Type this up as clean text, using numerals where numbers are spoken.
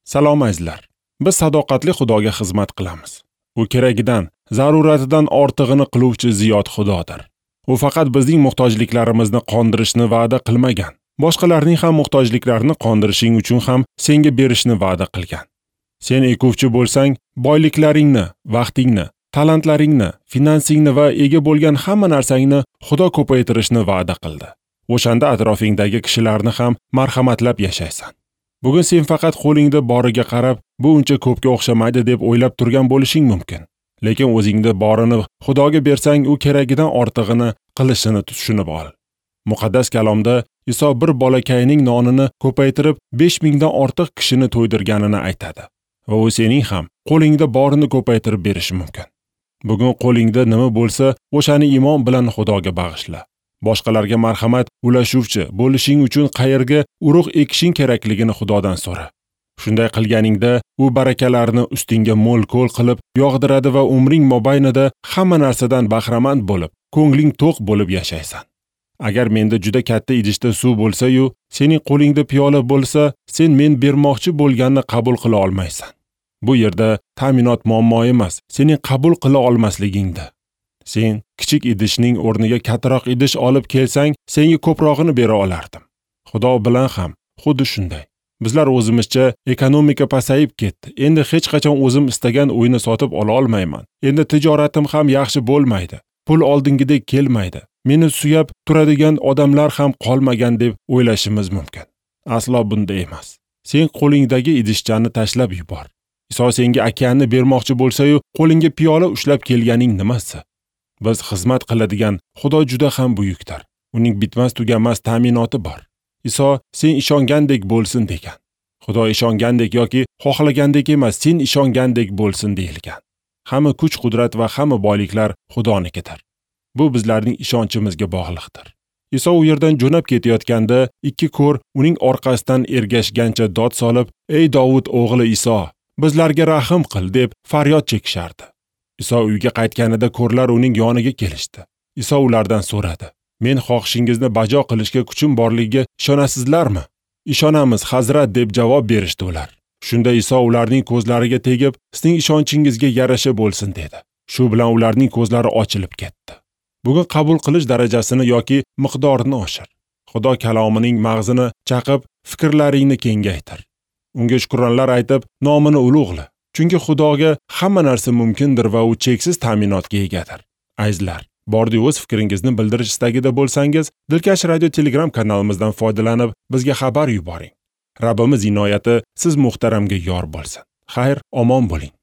Salom azizlar. Biz sadoqatli Xudoga xizmat qilamiz. U keragidan, zaruratidan ortig'ini qiluvchi ziyod Xudodir. U faqat bizning muhtojliklarimizni qondirishni va'da qilmagan, boshqalarning ham muhtojliklarini qondirishing uchun ham senga berishni va'da qilgan. Sen ekuvchi bo'lsang, boyliklaringni, vaqtingni, talantlaringni, finansingni va ega bo'lgan hamma narsangni Xudo ko'paytirishni va'da qildi. O'shanda atrofingdagi kishilarni ham marhamatlab yashaysan. Bugun sen faqat qo'lingda boriga qarab, bu uncha ko'pga o'xshamaydi deb o'ylab turgan bo'lishing mumkin. Lekin o'zingda borini Xudoga bersang, u keragidan ortig'ini qilishini tushunib ol. Muqaddas kalomda Iso bir bolakayning nonini ko'paytirib 5000 dan ortiq kishini to'ydirganini aytadi. Va u sening ham qo'lingda borini ko'paytirib berishi mumkin. Bugun qo'lingda nima bo'lsa, o'shani iymon bilan Xudoga bag'ishla. Boshqalarga marhamat ulashuvchi bo'lishing uchun qayerga urug' ekishing kerakligini Xudodan so'ra. Shunday qilganingda u barakalarni ustingga mo'l-ko'l qilib yog'diradi va umring mobaynida hamma narsadan bahramand bo'lib, ko'ngling to'q bo'lib yashaysan. Agar menda juda katta idishda suv bo'lsa-yu, sening qo'lingda piyola bo'lsa, sen men bermoqchi bo'lganni qabul qila olmaysan. Bu yerda ta'minot muammo emas, sening qabul qila olmasligingda. Sen kichik idishning o'rniga kattaroq idish olib kelsang, senga ko'prog'ini bera olardim. Xudo bilan ham xuddi shunday. Bizlar o'zimizcha ekonomika pasayib ketdi. Endi hech qachon o'zim istagan uyni sotib ola olmayman. Endi tijoratim ham yaxshi bo'lmaydi. Pul oldingidek kelmaydi. Meni suyab turadigan odamlar ham qolmagan deb o'ylashimiz mumkin. Aslo bunday emas. Sen qo'lingdagi idishchani tashlab yubor. Iso senga okeanni bermoqchi bo'lsa-yu, qo'lingga piyola ushlab kelganing nimasi? Biz xizmat qiladigan Xudo juda ham buyukdir. Uning bitmas tuganmas ta'minoti bor. Iso sen ishongandek bo'lsin degan. Xudo ishongandek yoki xohlagandek emas, sen ishongandek bo'lsin deyilgan. Hamma kuch-qudrat va hamma boyliklar Xudonikidir. Bu bizlarning ishonchimizga bog'liqdir. Iso u yerdan jo'nab ketayotganda ikki ko'r uning orqasidan ergashgancha dod solib, "Ey Dovud o'g'li Iso, bizlarga rahim qil" deb faryod chekishardi. Iso uyga qaytganida ko'rlar uning yoniga kelishdi. Iso ulardan so'radi: "Men xohishingizni bajo qilishga kuchim borligiga ishonasizlarmi?" "Ishonamiz, Hazrat" deb javob berishdi ular. Shunda Iso ularning ko'zlariga tegib, "Sizning ishonchingizga yarasha bo'lsin" dedi. Shu bilan ularning ko'zlari ochilib ketdi. Bugun qabul qilish darajasini yoki miqdorini oshir. Xudo kalomining mag'zini chaqib, fikrlaringni kengaytir. Unga shukronlar aytib, nomini ulug'la. Chunki Xudoga hamma narsa mumkindir va u cheksiz ta'minotga egadir. Azizlar, bordi o'z fikringizni bildirish istagida bo'lsangiz, Dilkash Radio Telegram kanalimizdan foydalanib, bizga xabar yuboring. Rabbimiz inoyati siz muhtaramga yor bo'lsin. Xayr, omon bo'ling.